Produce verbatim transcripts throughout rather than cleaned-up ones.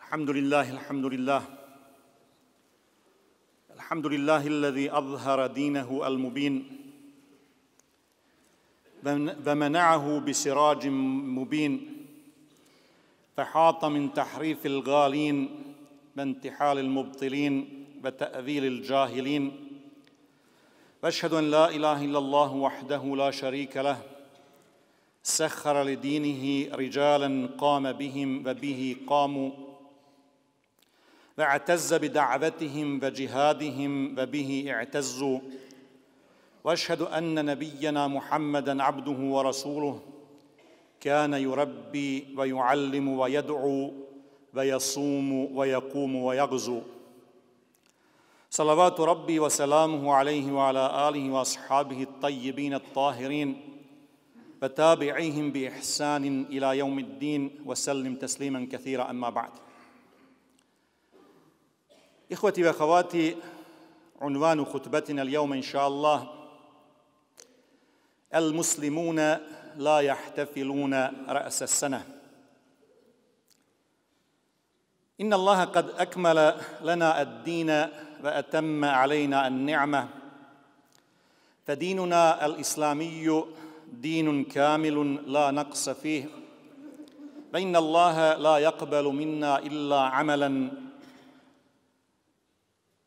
الحمد لله الحمد لله الحمد لله الذي أظهر دينه المبين ومنعه بسراج مبين فحاط من تحريف الغالين وانتحال المبطلين وتأويل الجاهلين وأشهد أن لا إله إلا الله وحده لا شريك له سخر لدينه رجالا قام بهم وبه قاموا واعتز بدعوتهم وجهادهم وبه اعتزوا واشهد ان نبينا محمدا عبده ورسوله كان يربي ويعلم ويدعو ويصوم ويقوم ويغزو صلوات ربي وسلامه عليه وعلى اله واصحابه الطيبين الطاهرين وتابعيهم باحسان الى يوم الدين وسلم تسليما كثيرا اما بعد. إخوتي وأخواتي، عنوان خطبتنا اليوم إن شاء الله: المسلمون لا يحتفلون رأس السنة. إن الله قد أكمل لنا الدين وأتم علينا النعمة، فديننا الإسلامي دين كامل لا نقص فيه، فإن الله لا يقبل منا إلا عملاً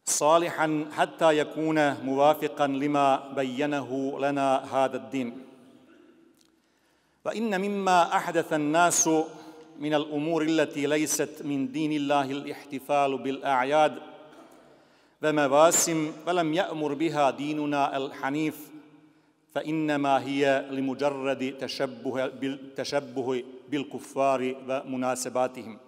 صالحا حتى يكون موافقا لما بينه لنا هذا الدين. وإن مما أحدث الناس من الأمور التي ليست من دين الله الاحتفال بالأعياد ومواسم، ولم يأمر بها ديننا الحنيف، فإنما هي لمجرد تشبه بالتشبه بالكفار ومناسباتهم.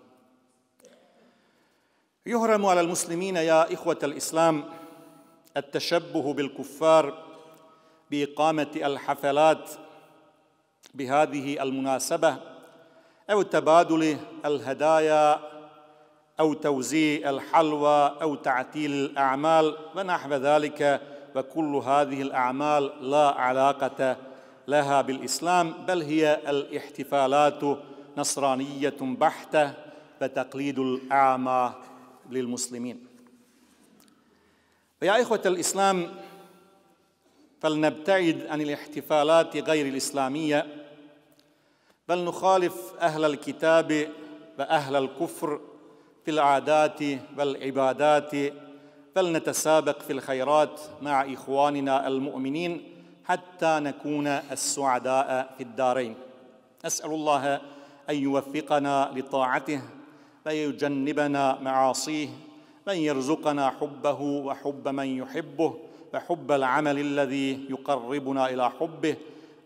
يحرم على المسلمين يا إخوة الإسلام التشبه بالكفار بإقامة الحفلات بهذه المناسبة أو تبادل الهدايا أو توزيع الحلوى أو تعتيل الأعمال ونحو ذلك، وكل هذه الأعمال لا علاقة لها بالإسلام، بل هي الاحتفالات نصرانية بحتة وتقليد الأعمى للمسلمين. فيا إخوة الإسلام، فلنبتعد عن الاحتفالات غير الإسلامية، بل نخالف أهل الكتاب وأهل الكفر في العادات والعبادات، بل نتسابق في الخيرات مع إخواننا المؤمنين حتى نكون السعداء في الدارين. أسأل الله أن يوفقنا لطاعته ويجنبنا معاصيه، وأن يرزقنا حبه وحب من يحبه وحب العمل الذي يقربنا إلى حبه،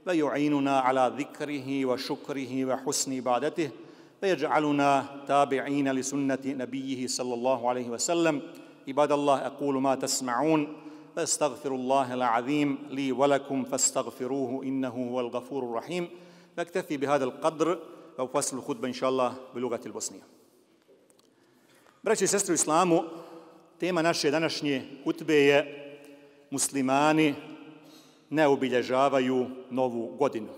ويعيننا على ذكره وشكره وحسن عبادته، ويجعلنا تابعين لسنة نبيه صلى الله عليه وسلم. عباد الله، أقول ما تسمعون فاستغفر الله العظيم لي ولكم فاستغفروه إنه هو الغفور الرحيم. نكتفي بهذا القدر وفصل الخطبة إن شاء الله بلغة البosnije. Braći i sestre u islamu, tema naše današnje hutbe je: muslimani ne obilježavaju novu godinu.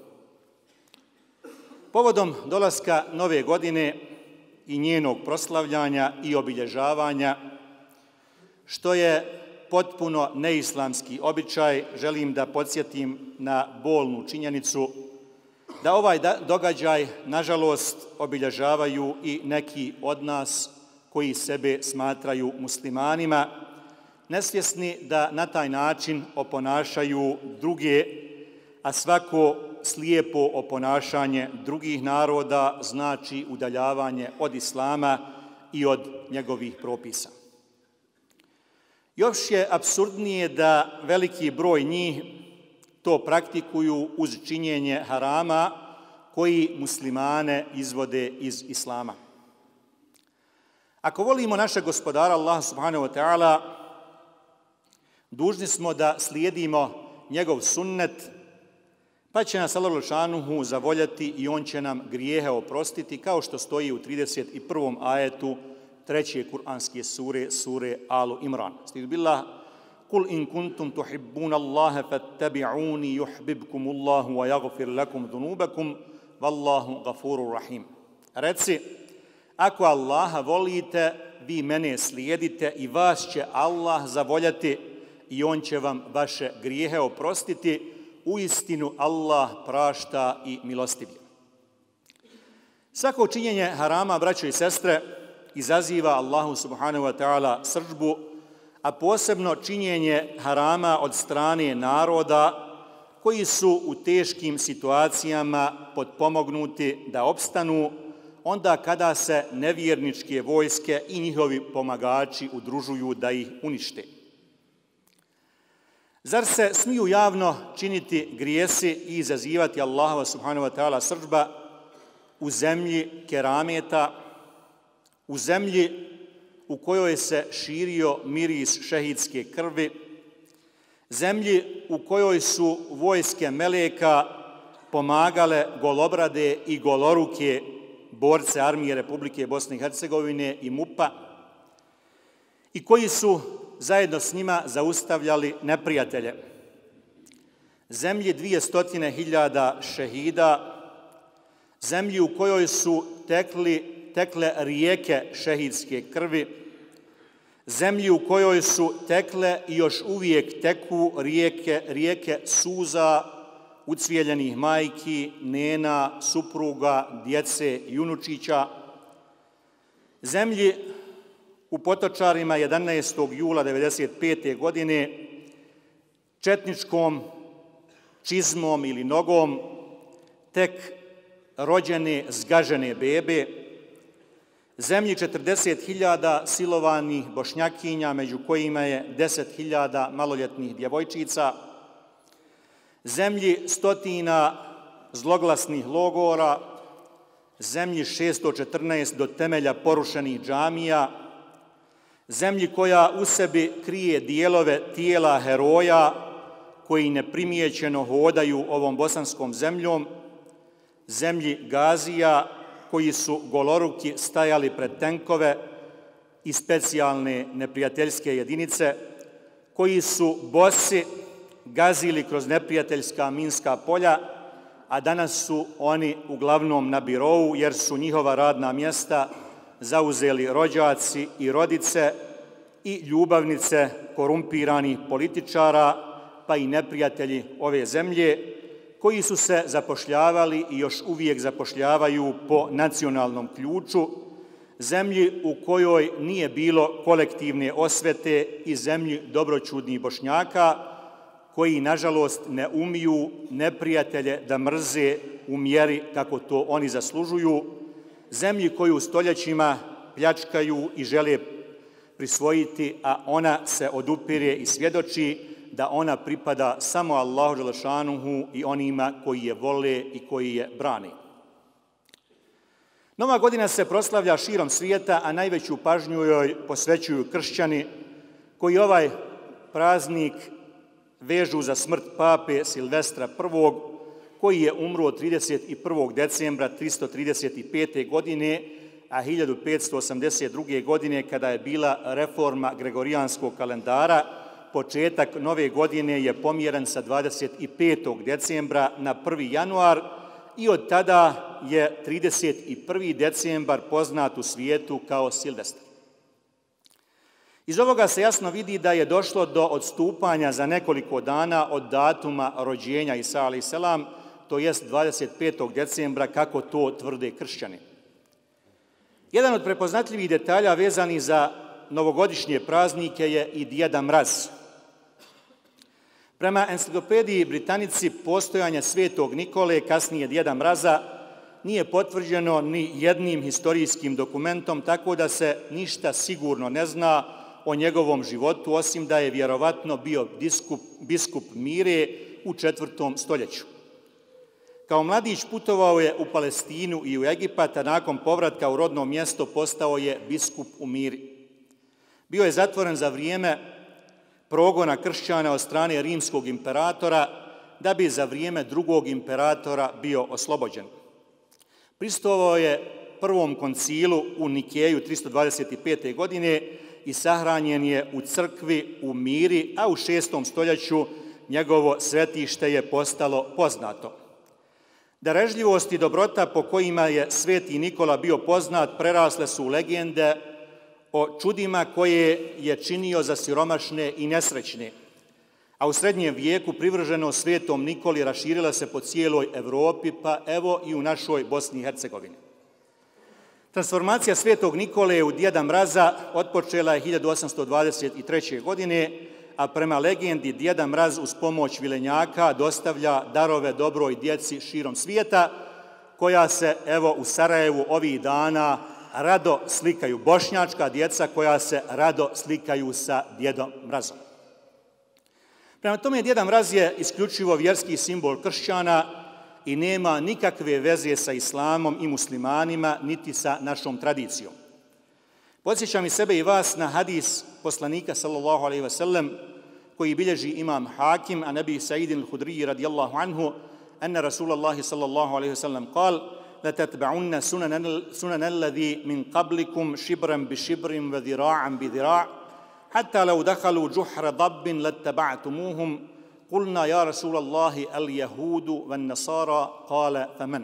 Povodom dolaska nove godine i njenog proslavljanja i obilježavanja, što je potpuno neislamski običaj, želim da podsjetim na bolnu činjenicu da ovaj događaj, nažalost, obilježavaju i neki od nas koji sebe smatraju muslimanima, nesvjesni da na taj način oponašaju druge, a svako slijepo oponašanje drugih naroda znači udaljavanje od islama i od njegovih propisa. Još je apsurdnije da veliki broj njih to praktikuju uz činjenje harama koji muslimane izvode iz islama. Ako volimo našeg gospodara Allaha subhanahu wa ta'ala, dužni smo da slijedimo njegov sunnet, pa će nas Allah šanuhu zavoljati i on će nam grijehe oprostiti, kao što stoji u trideset i prvom ajetu treće kuranske sure, sure Alu Imran. Stidu billah: Kul in kuntum tuhibbuna Allaha fattabi'uni yuhbibkum Allahu wa yaghfir lakum dhunubakum wallahu ghafurur rahim. Reci: ako Allaha volite, vi mene slijedite i vas će Allah zavoljati i on će vam vaše grijehe oprostiti. Uistinu Allah prašta i milostiv je. Svako činjenje harama, braćo i sestre, izaziva Allahu subhanahu wa ta'ala srdžbu, a posebno činjenje harama od strane naroda koji su u teškim situacijama potpomognuti da opstanu onda kada se nevjerničke vojske i njihovi pomagači udružuju da ih unište. Zar se smiju javno činiti grijesi i izazivati Allahova subhanahu wa ta'ala srdžba u zemlji kerameta, u zemlji u kojoj se širio miris šehidske krvi, zemlji u kojoj su vojske meleka pomagale golobrade i goloruke borce armije Republike Bosne i Hercegovine i MUP-a i koji su zajedno s njima zaustavljali neprijatelje. Zemlji dvije stotine hiljada šehida, zemlji u kojoj su tekli, tekle rijeke šehidske krvi, zemlji u kojoj su tekle i još uvijek teku rijeke, rijeke suza, ucvijeljenih majki, nena, supruga, djece i unučića, zemlji u Potočarima jedanaestog jula devedeset pete. godine četničkom čizmom ili nogom tek rođene, zgažene bebe, zemlji četrdeset hiljada silovanih Bošnjakinja, među kojima je deset hiljada maloljetnih djevojčica, zemlji stotina zloglasnih logora, zemlji šesto četrnaest do temelja porušenih džamija, zemlji koja u sebi krije dijelove tijela heroja koji neprimjećeno hodaju ovom bosanskom zemljom, zemlji gazija koji su goloruki stajali pred tenkove i specijalne neprijateljske jedinice, koji su bosi gazili kroz neprijateljska minska polja, a danas su oni uglavnom na birou jer su njihova radna mjesta zauzeli rođaci i rodice i ljubavnice korumpiranih političara, pa i neprijatelji ove zemlje, koji su se zapošljavali i još uvijek zapošljavaju po nacionalnom ključu, zemlji u kojoj nije bilo kolektivne osvete i zemlji dobroćudnih Bošnjaka, koji, nažalost, ne umiju neprijatelje da mrze u mjeri kako to oni zaslužuju, zemlji koju stoljećima pljačkaju i žele prisvojiti, a ona se odupire i svjedoči da ona pripada samo Allahu dželešanuhu i onima koji je vole i koji je brane. Nova godina se proslavlja širom svijeta, a najveću pažnju joj posvećuju kršćani koji ovaj praznik vežu za smrt pape Silvestra prvog, koji je umro trideset prvog decembra tristo trideset pete. godine, a hiljadu petsto osamdeset druge. godine, kada je bila reforma gregorijanskog kalendara, početak nove godine je pomjeren sa dvadeset petog decembra na prvi januar i od tada je trideset prvi decembar poznat u svijetu kao Silvestar. Iz ovoga se jasno vidi da je došlo do odstupanja za nekoliko dana od datuma rođenja Isa alejhi selam, to jest dvadeset petog decembra, kako to tvrde kršćani. Jedan od prepoznatljivih detalja vezani za novogodišnje praznike je i Djeda Mraz. Prema enciklopediji Britanici, postojanje Svetog Nikole, kasnije Djeda Mraza, nije potvrđeno ni jednim historijskim dokumentom, tako da se ništa sigurno ne zna o njegovom životu, osim da je vjerovatno bio biskup, biskup Mire u četvrtom stoljeću. Kao mladić putovao je u Palestinu i u Egipat, a nakon povratka u rodno mjesto postao je biskup u Miri. Bio je zatvoren za vrijeme progona kršćana od strane rimskog imperatora, da bi za vrijeme drugog imperatora bio oslobođen. Pristovao je prvom koncilu u Nikeju tristo dvadeset pete. godine i sahranjen je u crkvi u Miri, a u šestom stoljeću njegovo svetište je postalo poznato. Darežljivost i dobrota po kojima je sveti Nikola bio poznat prerasle su u legende o čudima koje je činio za siromašne i nesrećne, a u srednjem vijeku privrženost svetom Nikoli raširila se po cijeloj Evropi, pa evo i u našoj Bosni i Hercegovini. Transformacija svetog Nikole u Djeda Mraza otpočela je hiljadu osamsto dvadeset treće. godine, a prema legendi Djeda Mraz uz pomoć vilenjaka dostavlja darove dobroj djeci širom svijeta, koja se evo u Sarajevu ovih dana rado slikaju, bošnjačka djeca koja se rado slikaju sa Djedom Mrazom. Prema tome, Djeda Mraz je isključivo vjerski simbol kršćana i nema nikakve veze sa islamom i muslimanima, niti sa našom tradicijom. Podsjećam i sebe i vas na hadis poslanika sallallahu alejhi ve sellem koji bilježi imam Hakim, a Nebi Sa'idin al-Hudriji radijallahu anhu, anna Rasulallahi sallallahu alejhi ve sellem kal, لَتَتْبَعُنَّ سُنَنَ الَّذِي مِنْ قَبْلِكُمْ شِبْرًا بِشِبْرٍ وَذِرَاعًا بِذِرَاعٍ حَتَّى لَوْ دَخَلُوا جُحْرَ ضَبٍّ لَاتَّبَعْتُمُوهُمْ قُلْنَا يَا رَسُولَ اللَّهِ الْيَهُودُ وَالنَّصَارَى قَالَ فَمَنْ.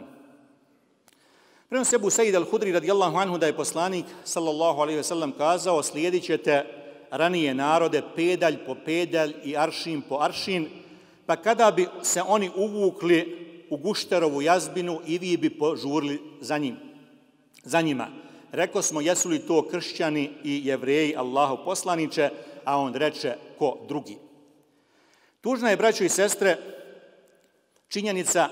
Prenosi Ebu Sa'id al-Hudri radijallahu anhu da je poslanik sallallahu alejhi ve sellem kazao: slijedit ćete ranije narode pedalj po pedalj i aršin po aršin, pa kada bi se oni uvukli u gušterovu jazbinu i vi bi požurili za njim, za njima. Rekao smo, jesu li to kršćani i jevreji, Allahov poslaniče, a on reče, ko drugi. Tužna je, braćo i sestre, činjenica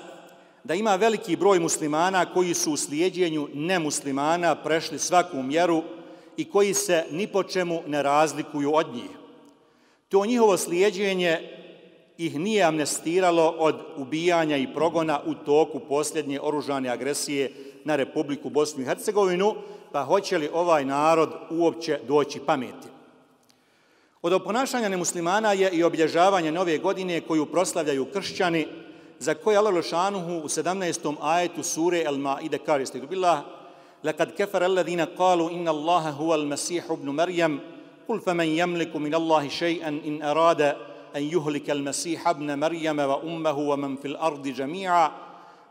da ima veliki broj muslimana koji su u slijedjenju nemuslimana prešli svaku mjeru i koji se ni po čemu ne razlikuju od njih. To njihovo slijedjenje ih nije amnestiralo od ubijanja i progona u toku posljednje oružane agresije na Republiku Bosnu i Hercegovinu, pa hoće li ovaj narod uopće doći pameti? Od oponašanja nemuslimana je i obilježavanje nove godine koju proslavljaju kršćani, za koje Allah Lešanuhu u sedamnaestom ajetu sure Al-Ma'ide kaže: Stigbillah, لَقَدْ كَفَرَ الَّذِينَ قَالُوا إِنَّ اللَّهَ هُوَ الْمَسِيحُ ابْنُ مَرْيَمَ قُلْ فَمَنْ يَمْلِكُ مِنَ اللَّهِ شَيْئًا إِنْ أَرَادَ أَنْ يُهْلِكَ الْمَسِيحَ ابْنَ مَرْيَمَ وَأُمَّهُ وَمَنْ فِي الْأَرْضِ جَمِيعًا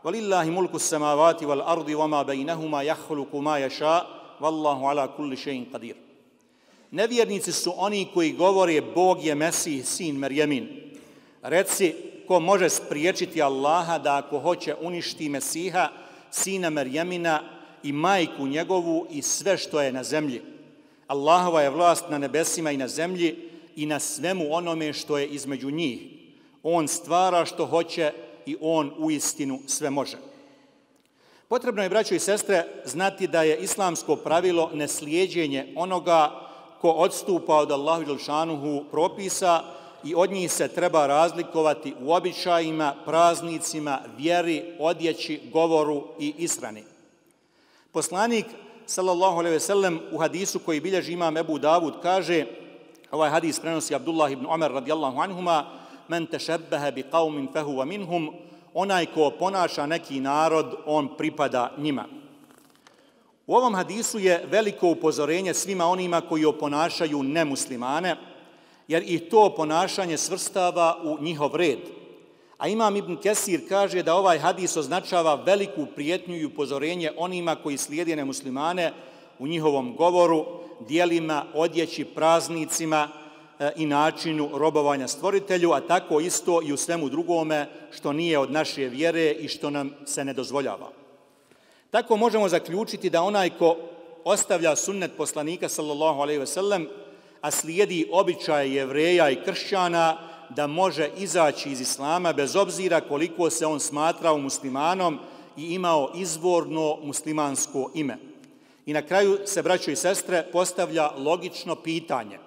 وَلِلَّهِ مُلْكُ السَّمَاوَاتِ وَالْأَرْضِ وَمَا بَيْنَهُمَا يَخْلُقُ مَا يَشَاءُ وَاللَّهُ عَلَى كُلِّ شَيْءٍ قَدِيرٌ. Nevjernici su oni koji govore Bog je Mesih, sin Merjemin. Reci, ko može spriječiti Allaha da ako hoće uništi Mesiha, sina Merjemina i majku njegovu i sve što je na zemlji. Allahova je vlast na nebesima i na zemlji i na svemu onome što je između njih. On stvara što hoće i on uistinu sve može. Potrebno je, braćo i sestre, znati da je islamsko pravilo neslijeđenje onoga ko odstupa od Allahu dželšanuhu propisa i od njih se treba razlikovati u običajima, praznicima, vjeri, odjeći, govoru i ishrani. Poslanik sallallahu alejhi ve sellem u hadisu koji bilježi imam Ebu Davud kaže, ovaj hadis prenosi Abdullah ibn Umar radijallahu anhuma: men tešebbehe bi qaumin fehuva minhum, onaj ko ponaša neki narod, on pripada njima. U ovom hadisu je veliko upozorenje svima onima koji oponašaju nemuslimane, jer i to ponašanje svrstava u njihov red. A imam Ibn Kesir kaže da ovaj hadis označava veliku prijetnju i upozorenje onima koji slijede nemuslimane u njihovom govoru, dijelima, odjeći, praznicima e, i načinu robovanja stvoritelju, a tako isto i u svemu drugome što nije od naše vjere i što nam se ne dozvoljava. Tako možemo zaključiti da onaj ko ostavlja sunnet poslanika sallallahu alejhi ve sellem, a slijedi običaje Jevreja i kršćana, da može izaći iz islama bez obzira koliko se on smatrao muslimanom i imao izvorno muslimansko ime. I na kraju se, braćo i sestre, postavlja logično pitanje: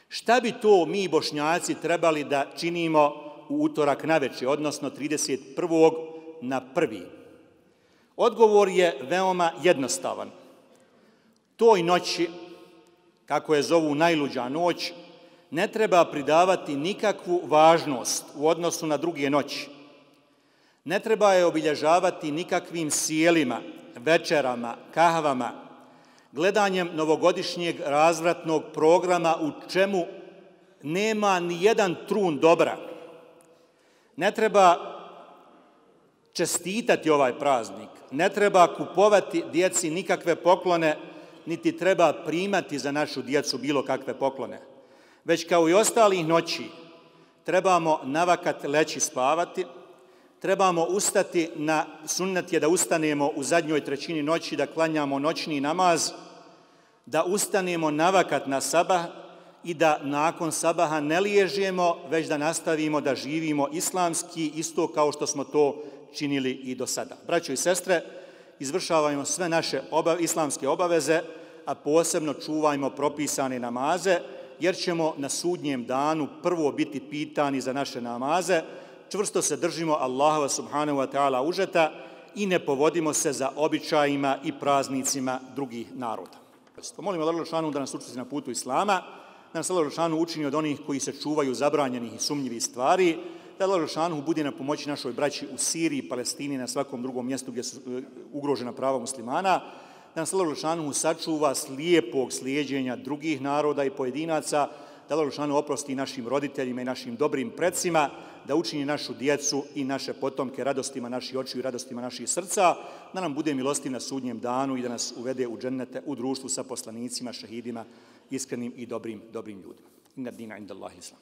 šta bi to mi Bošnjaci trebali da činimo u utorak navečer, odnosno trideset prvog na prvi? Odgovor je veoma jednostavan. Toj noći, kako je zovu najluđa noć, ne treba pridavati nikakvu važnost u odnosu na druge noći. Ne treba je obilježavati nikakvim sjelima, večerama, kahvama, gledanjem novogodišnjeg razvratnog programa u čemu nema ni jedan trun dobra. Ne treba čestitati ovaj praznik, ne treba kupovati djeci nikakve poklone, niti treba primati za našu djecu bilo kakve poklone. Već kao i ostalih noći trebamo navakat leći spavati, trebamo ustati na sunnet je da ustanemo u zadnjoj trećini noći, da klanjamo noćni namaz, da ustanemo navakat na sabah i da nakon sabaha ne liježemo, već da nastavimo da živimo islamski, isto kao što smo to činili i do sada. Braćo i sestre, izvršavajmo sve naše oba, islamske obaveze, a posebno čuvajmo propisane namaze, jer ćemo na sudnjem danu prvo biti pitani za naše namaze. Čvrsto se držimo Allahova subhanahu wa ta'ala užeta i ne povodimo se za običajima i praznicima drugih naroda. Molimo Allah Đelešanu da nas učesti na putu Islama, da nas Allah Đelešanu učini od onih koji se čuvaju zabranjenih i sumnjivih stvari, da Allah Đelešanu bude na pomoći našoj braći u Siriji, Palestini i na svakom drugom mjestu gdje su ugrožena prava muslimana, da nas Allah Đelešanu sačuva slijepog slijeđenja drugih naroda i pojedinaca, da Allah Đelešanu oprosti našim roditeljima i našim dobrim predsima, da učini našu djecu i naše potomke radostima naših očiju i radostima naših srca, da nam bude milostiv na sudnjem danu i da nas uvede u džennete, u društvu sa poslanicima, šehidima, iskrenim i dobrim, dobrim ljudima. Inna dina inda Allahi islam.